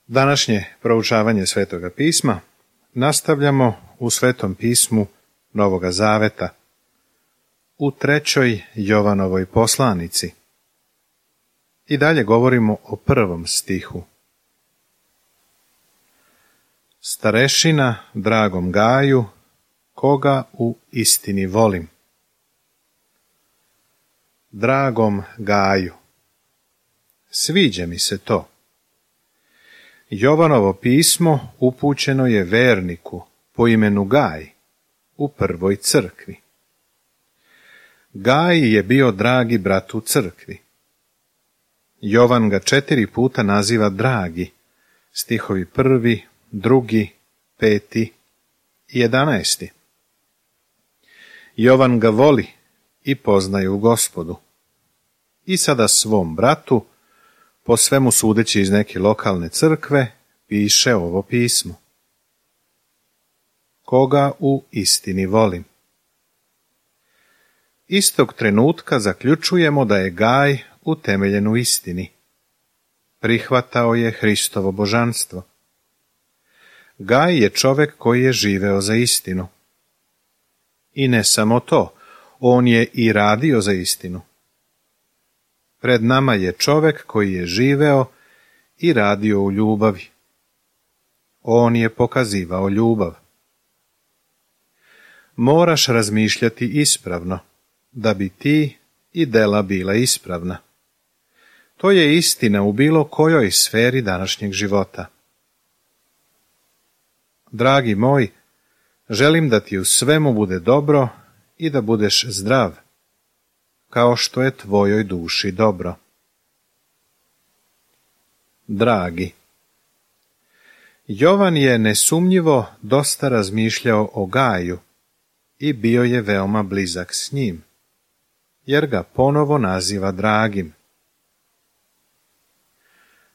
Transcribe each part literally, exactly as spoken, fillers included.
Današnje proučavanje Svetoga pisma nastavljamo u Svetom pismu Novoga Zaveta, u trećoj Jovanovoj poslanici. I dalje govorimo o prvom stihu. Starešina dragom Gaju, koga u istini volim. Dragom Gaju. Sviđa mi se to. Jovanovo pismo upućeno je verniku po imenu Gaj u prvoj crkvi. Gaj je bio dragi brat u crkvi. Jovan ga četiri puta naziva dragi, stihovi prvi, drugi, peti i jedanaesti. Jovan ga voli i poznaje u Gospodu. I sada svom bratu, po svemu sudeći iz neke lokalne crkve, piše ovo pismo. Koga u istini volim. Istog trenutka zaključujemo da je Gaj utemeljen u istini. Prihvatao je Hristovo božanstvo. Gaj je čovek koji je živeo za istinu. I ne samo to, on je i radio za istinu. Pred nama je čovek koji je živeo i radio u ljubavi. On je pokazivao ljubav. Moraš razmišljati ispravno, da bi ti i dela bila ispravna. To je istina u bilo kojoj sferi današnjeg života. Dragi moj, želim da ti u svemu bude dobro i da budeš zdrav, kao što je tvojoj duši dobro. Dragi. Jovan je nesumnjivo dosta razmišljao o Gaju i bio je veoma blizak s njim, jer ga ponovo naziva dragim.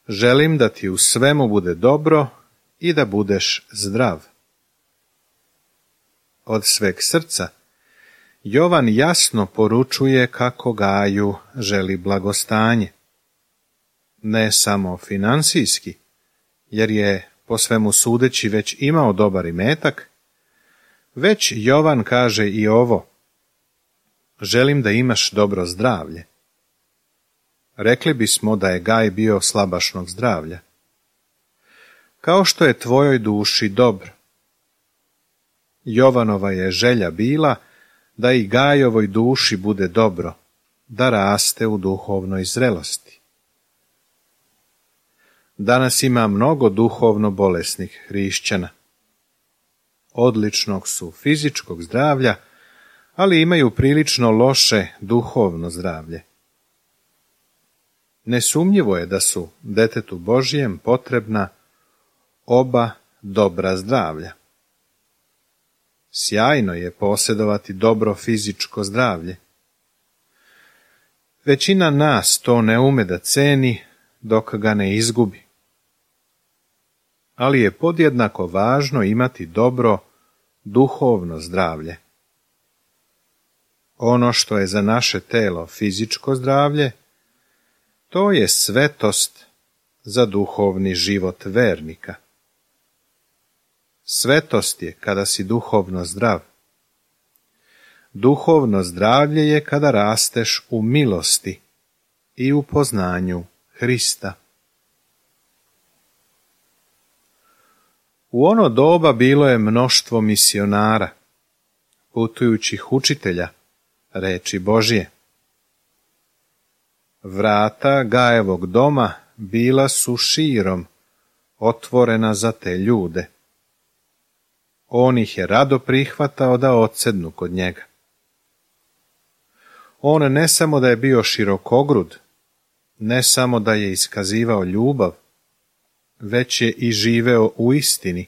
Želim da ti u svemu bude dobro i da budeš zdrav. Od sveg srca Jovan jasno poručuje kako Gaju želi blagostanje. Ne samo finansijski, jer je po svemu sudeći već imao dobar imetak, već Jovan kaže i ovo. Želim da imaš dobro zdravlje. Rekli bismo da je Gaj bio slabašnog zdravlja. Kao što je tvojoj duši dobro. Jovanova je želja bila da i Gajovoj duši bude dobro, da raste u duhovnoj zrelosti. Danas ima mnogo duhovno bolesnih hrišćana. Odličnog su fizičkog zdravlja, ali imaju prilično loše duhovno zdravlje. Nesumnjivo je da su detetu Božijem potrebna oba dobra zdravlja. Sjajno je posjedovati dobro fizičko zdravlje. Većina nas to ne ume da ceni dok ga ne izgubi. Ali je podjednako važno imati dobro duhovno zdravlje. Ono što je za naše telo fizičko zdravlje, to je svetost za duhovni život vernika. Svetost je kada si duhovno zdrav. Duhovno zdravlje je kada rasteš u milosti i u poznanju Hrista. U ono doba bilo je mnoštvo misionara, putujućih učitelja reči Božije. Vrata Gajevog doma bila su širom otvorena za te ljude. On ih je rado prihvatao da odsednu kod njega. On ne samo da je bio širokogrud, ne samo da je iskazivao ljubav, već je i živeo u istini,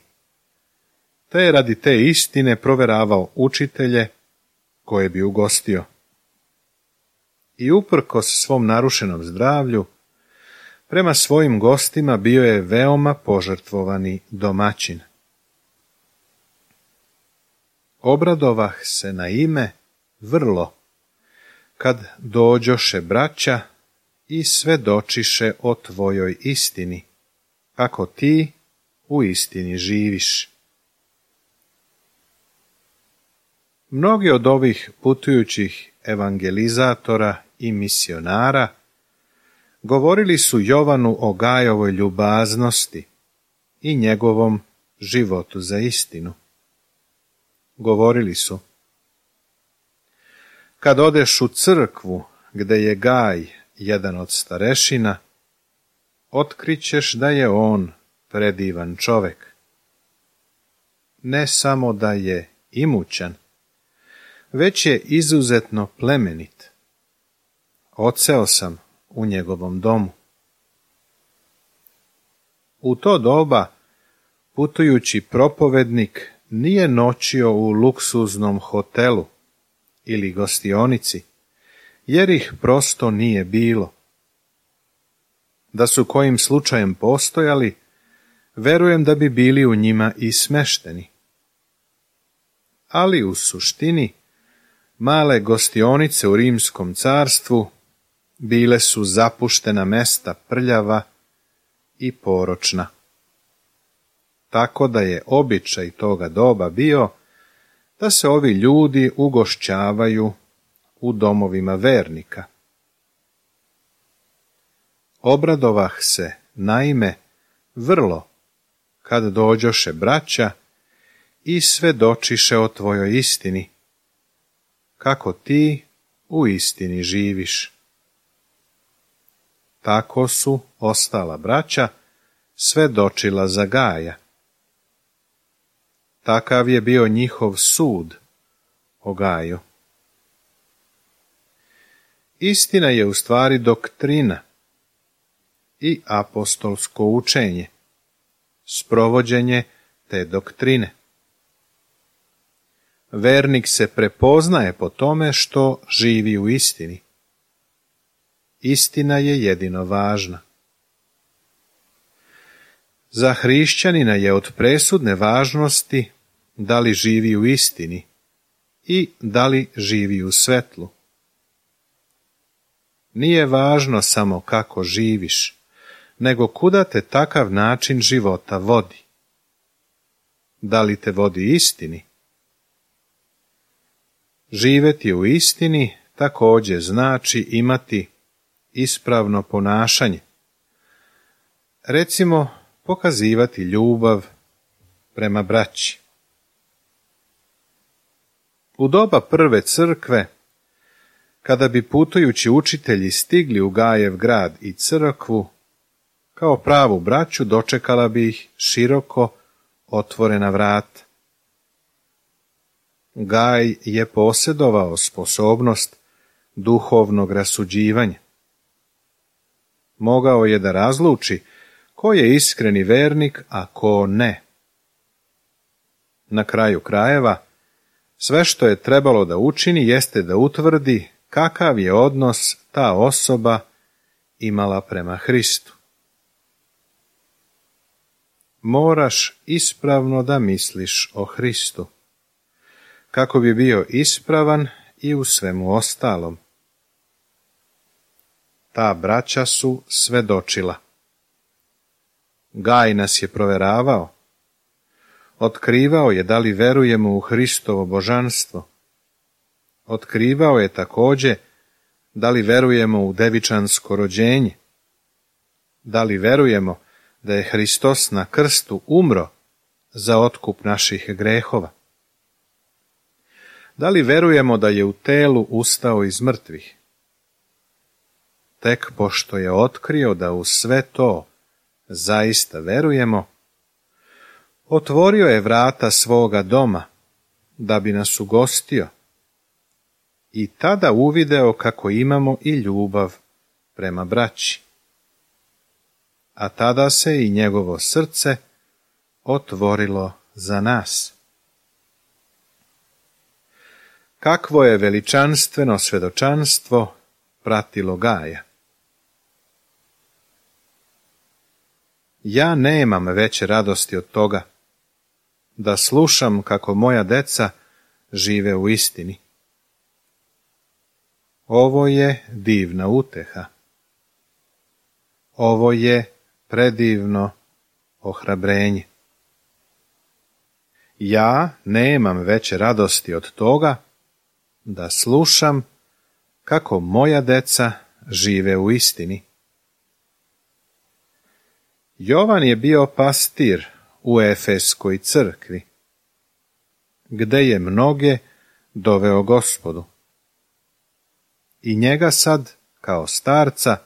te je radi te istine proveravao učitelje koje bi ugostio. I uprkos svom narušenom zdravlju, prema svojim gostima bio je veoma požrtvovani domaćin. Obradovah se na ime vrlo, kad dođoše braća i svedočiše o tvojoj istini, kako ti u istini živiš. Mnogi od ovih putujućih evangelizatora i misionara govorili su Jovanu o Gajovoj ljubaznosti i njegovom životu za istinu. Govorili su: kad odeš u crkvu gde je Gaj jedan od starešina, otkrićeš da je on predivan čovek. Ne samo da je imućan, već je izuzetno plemenit. Odseo sam u njegovom domu. U to doba putujući propovednik nije noćio u luksuznom hotelu ili gostionici, jer ih prosto nije bilo. Da su kojim slučajem postojali, verujem da bi bili u njima i smešteni. Ali u suštini, male gostionice u Rimskom carstvu bile su zapuštena mesta, prljava i poročna. Tako da je običaj toga doba bio da se ovi ljudi ugošćavaju u domovima vernika. Obradovah se, naime, vrlo, kad dođoše braća i svedočiše o tvojoj istini, kako ti u istini živiš. Tako su ostala braća svedočila za Gaja. Takav je bio njihov sud o Gaju. Istina je u stvari doktrina i apostolsko učenje, sprovođenje te doktrine. Vernik se prepoznaje po tome što živi u istini. Istina je jedino važna. Za hrišćanina je od presudne važnosti da li živi u istini i da li živi u svetlu. Nije važno samo kako živiš, nego kuda te takav način života vodi. Da li te vodi istini? Živeti u istini također znači imati ispravno ponašanje. Recimo, pokazivati ljubav prema braći. U doba prve crkve, kada bi putujući učitelji stigli u Gajev grad i crkvu, kao pravu braću dočekala bi ih široko otvorena vrata. Gaj je posjedovao sposobnost duhovnog rasuđivanja. Mogao je da razluči ko je iskreni vernik, a ko ne. Na kraju krajeva, sve što je trebalo da učini jeste da utvrdi kakav je odnos ta osoba imala prema Hristu. Moraš ispravno da misliš o Hristu, kako bi bio ispravan i u svemu ostalom. Ta braća su svedočila. Gaj nas je proveravao. Otkrivao je da li verujemo u Hristovo božanstvo. Otkrivao je također da li verujemo u devičansko rođenje. Da li verujemo da je Hristos na krstu umro za otkup naših grehova. Da li verujemo da je u telu ustao iz mrtvih? Tek pošto je otkrio da u sve to zaista verujemo, otvorio je vrata svoga doma da bi nas ugostio i tada uvideo kako imamo i ljubav prema braći. A tada se i njegovo srce otvorilo za nas. Kakvo je veličanstveno svedočanstvo pratilo Gaja. Ja nemam veće radosti od toga da slušam kako moja deca žive u istini. Ovo je divna uteha. Ovo je predivno ohrabrenje. Ja nemam veće radosti od toga da slušam kako moja deca žive u istini. Jovan je bio pastir u Efeskoj crkvi, gde je mnoge doveo Gospodu. I njega sad, kao starca,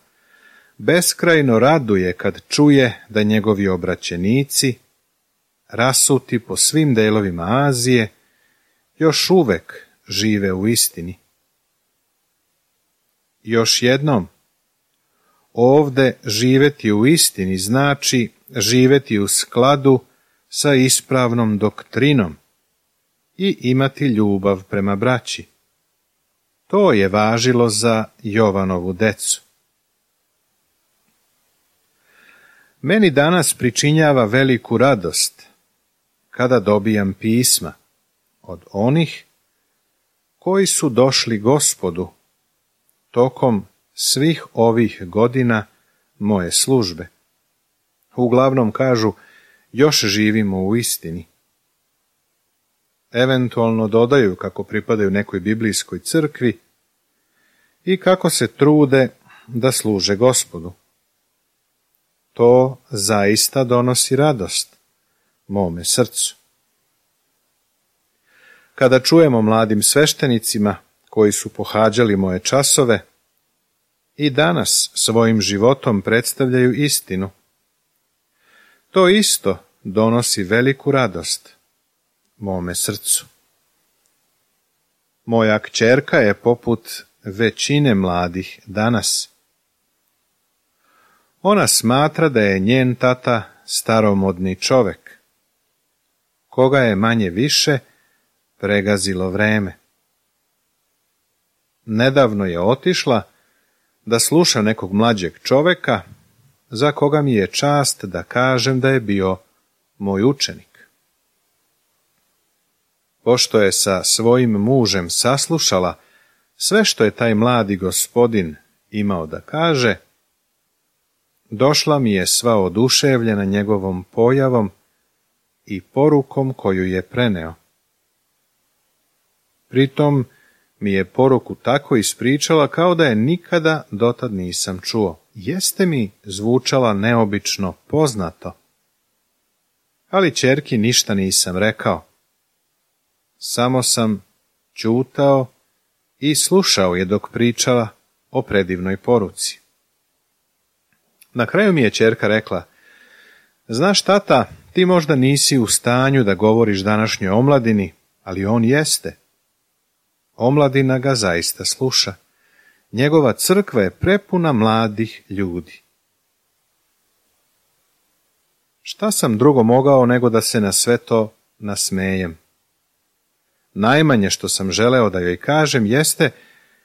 beskrajno raduje kad čuje da njegovi obraćenici, rasuti po svim delovima Azije, još uvek žive u istini. Još jednom, ovde živeti u istini znači živeti u skladu sa ispravnom doktrinom i imati ljubav prema braći. To je važilo za Jovanovu decu. Meni danas pričinjava veliku radost kada dobijam pisma od onih koji su došli Gospodu tokom svih ovih godina moje službe. Uglavnom kažu, još živimo u istini. Eventualno dodaju kako pripadaju nekoj biblijskoj crkvi i kako se trude da služe Gospodu. To zaista donosi radost mome srcu. Kada čujemo mladim sveštenicima koji su pohađali moje časove i danas svojim životom predstavljaju istinu, to isto donosi veliku radost mome srcu. Moja kćerka je poput većine mladih danas. Ona smatra da je njen tata staromodni čovek, koga je manje više pregazilo vreme. Nedavno je otišla da sluša nekog mlađeg čoveka, za koga mi je čast da kažem da je bio moj učenik. Pošto je sa svojim mužem saslušala sve što je taj mladi gospodin imao da kaže, došla mi je sva oduševljena njegovom pojavom i porukom koju je preneo. Pritom mi je poruku tako ispričala kao da je nikada dotad nisam čuo. Jeste mi zvučala neobično poznato, ali ćerki ništa nisam rekao. Samo sam ćutao i slušao je dok pričala o predivnoj poruci. Na kraju mi je ćerka rekla, znaš tata, ti možda nisi u stanju da govoriš današnjoj omladini, ali on jeste. Omladina ga zaista sluša. Njegova crkva je prepuna mladih ljudi. Šta sam drugo mogao nego da se na sve to nasmejem? Najmanje što sam želeo da joj kažem jeste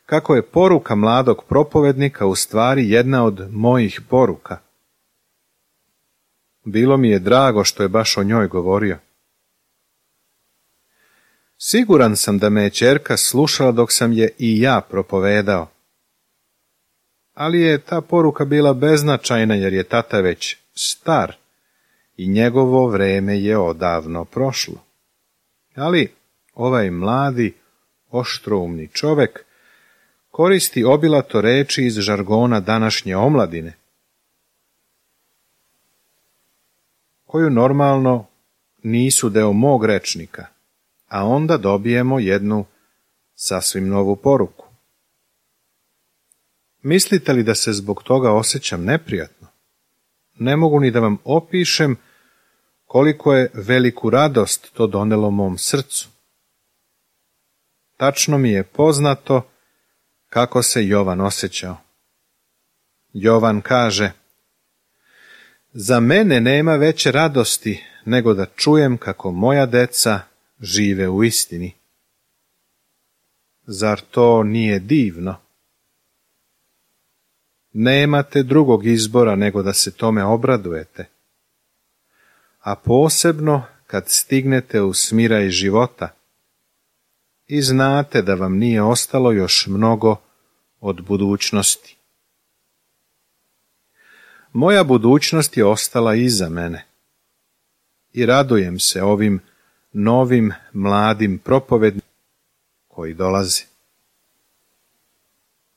kako je poruka mladog propovednika u stvari jedna od mojih poruka. Bilo mi je drago što je baš o njoj govorio. Siguran sam da me je ćerka slušala dok sam je i ja propovedao. Ali je ta poruka bila beznačajna jer je tata već star i njegovo vreme je odavno prošlo. Ali ovaj mladi, oštroumni čovek koristi obilato reči iz žargona današnje omladine, koju normalno nisu deo mog rečnika, a onda dobijemo jednu sasvim novu poruku. Mislite li da se zbog toga osjećam neprijatno? Ne mogu ni da vam opišem koliko je veliku radost to donelo mom srcu. Tačno mi je poznato kako se Jovan osjećao. Jovan kaže, za mene nema veće radosti nego da čujem kako moja deca žive u istini. Zar to nije divno? Nemate drugog izbora nego da se tome obradujete. A posebno kad stignete u smiraj života i znate da vam nije ostalo još mnogo od budućnosti. Moja budućnost je ostala iza mene, i radujem se ovim novim mladim propovednicima koji dolaze.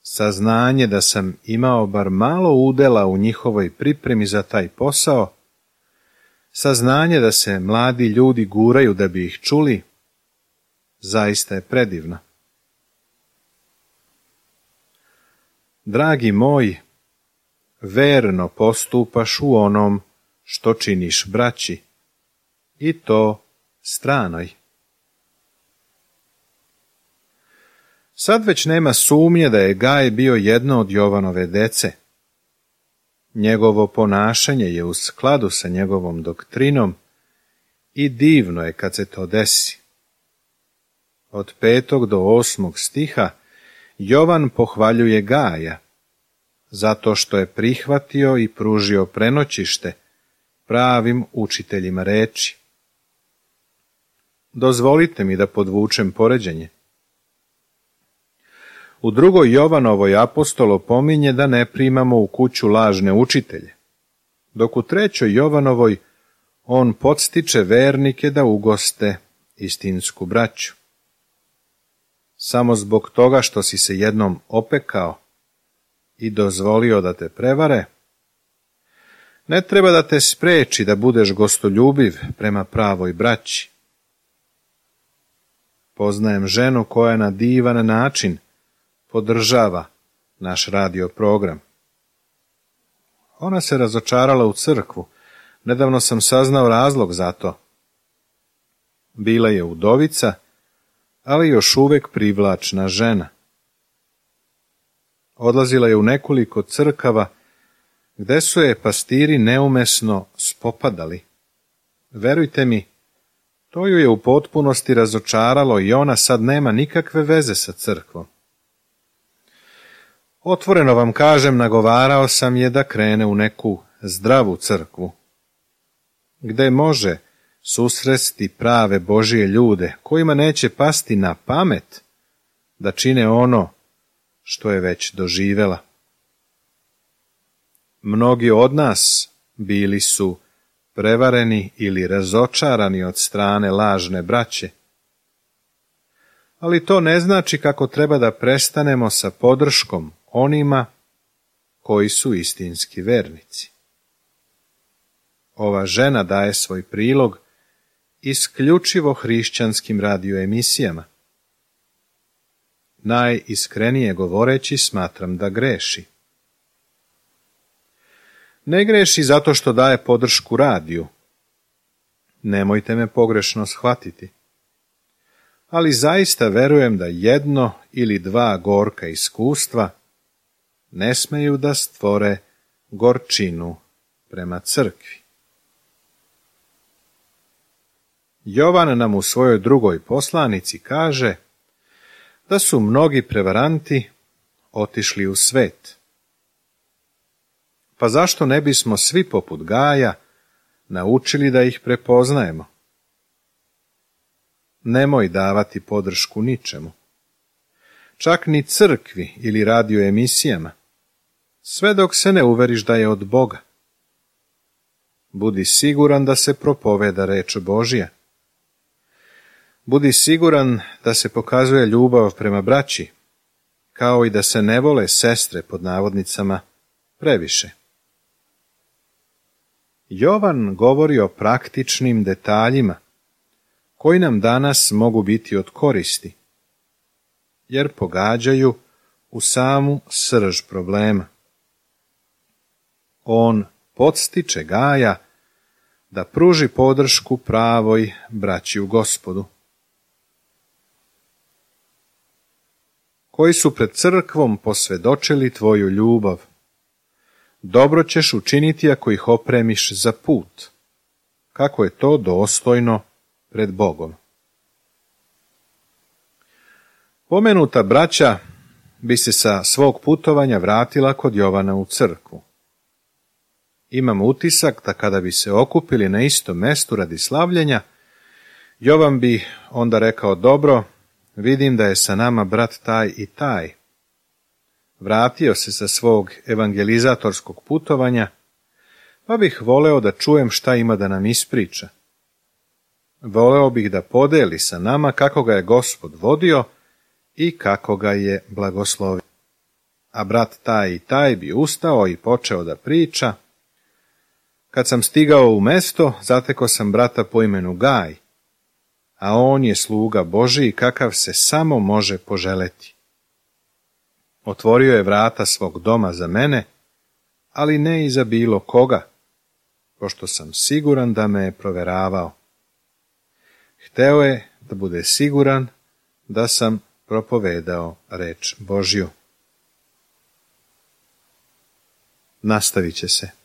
Saznanje da sam imao bar malo udela u njihovoj pripremi za taj posao, saznanje da se mladi ljudi guraju da bi ih čuli, zaista je predivno. Dragi moj, verno postupaš u onom što činiš braći, i to stranoj. Sad već nema sumnje da je Gaj bio jedno od Jovanove dece. Njegovo ponašanje je u skladu sa njegovom doktrinom i divno je kad se to desi. Od petog do osmog stiha Jovan pohvaljuje Gaja, zato što je prihvatio i pružio prenoćište pravim učiteljima reči. Dozvolite mi da podvučem poređenje. U drugoj Jovanovoj apostol opominje da ne primamo u kuću lažne učitelje, dok u trećoj Jovanovoj on podstiče vernike da ugoste istinsku braću. Samo zbog toga što si se jednom opekao i dozvolio da te prevare, ne treba da te spreči da budeš gostoljubiv prema pravoj braći. Poznajem ženu koja na divan način podržava naš radio program. Ona se razočarala u crkvu. Nedavno sam saznao razlog za to. Bila je udovica, ali još uvek privlačna žena. Odlazila je u nekoliko crkava, gde su je pastiri neumesno spopadali. Verujte mi, to ju je u potpunosti razočaralo i ona sad nema nikakve veze sa crkvom. Otvoreno vam kažem, nagovarao sam je da krene u neku zdravu crkvu, gde može susresti prave Božije ljude, kojima neće pasti na pamet da čine ono što je već doživela. Mnogi od nas bili su prevareni ili razočarani od strane lažne braće, ali to ne znači kako treba da prestanemo sa podrškom onima koji su istinski vernici. Ova žena daje svoj prilog isključivo hrišćanskim radioemisijama. Najiskrenije govoreći smatram da greši. Ne greši zato što daje podršku radiju. Nemojte me pogrešno shvatiti. Ali zaista verujem da jedno ili dva gorka iskustva ne smeju da stvore gorčinu prema crkvi. Jovan nam u svojoj drugoj poslanici kaže da su mnogi prevaranti otišli u svet. Pa zašto ne bismo svi poput Gaja naučili da ih prepoznajemo? Nemoj davati podršku ničemu, čak ni crkvi ili radioemisijama, sve dok se ne uveriš da je od Boga. Budi siguran da se propoveda reč Božja. Budi siguran da se pokazuje ljubav prema braći, kao i da se ne vole sestre pod navodnicama previše. Jovan govori o praktičnim detaljima koji nam danas mogu biti od koristi, jer pogađaju u samu srž problema. On podstiče Gaja da pruži podršku pravoj braći u Gospodu, koji su pred crkvom posvedočili tvoju ljubav. Dobro ćeš učiniti ako ih opremiš za put, kako je to dostojno pred Bogom. Pomenuta braća bi se sa svog putovanja vratila kod Jovana u crkvu. Imam utisak da kada bi se okupili na istom mestu radi slavljenja, Jovan bi onda rekao: dobro, vidim da je sa nama brat taj i taj. Vratio se sa svog evangelizatorskog putovanja, pa bih voleo da čujem šta ima da nam ispriča. voleo bih da podeli sa nama kako ga je Gospod vodio i kako ga je blagoslovio. A brat taj i taj bi ustao i počeo da priča. Kad sam stigao u mesto, zatekao sam brata po imenu Gaj, a on je sluga Božiji kakav se samo može poželeti. Otvorio je vrata svog doma za mene, ali ne i za bilo koga, pošto sam siguran da me je proveravao. Hteo je da bude siguran da sam propovedao reč Božju. Nastavit će se.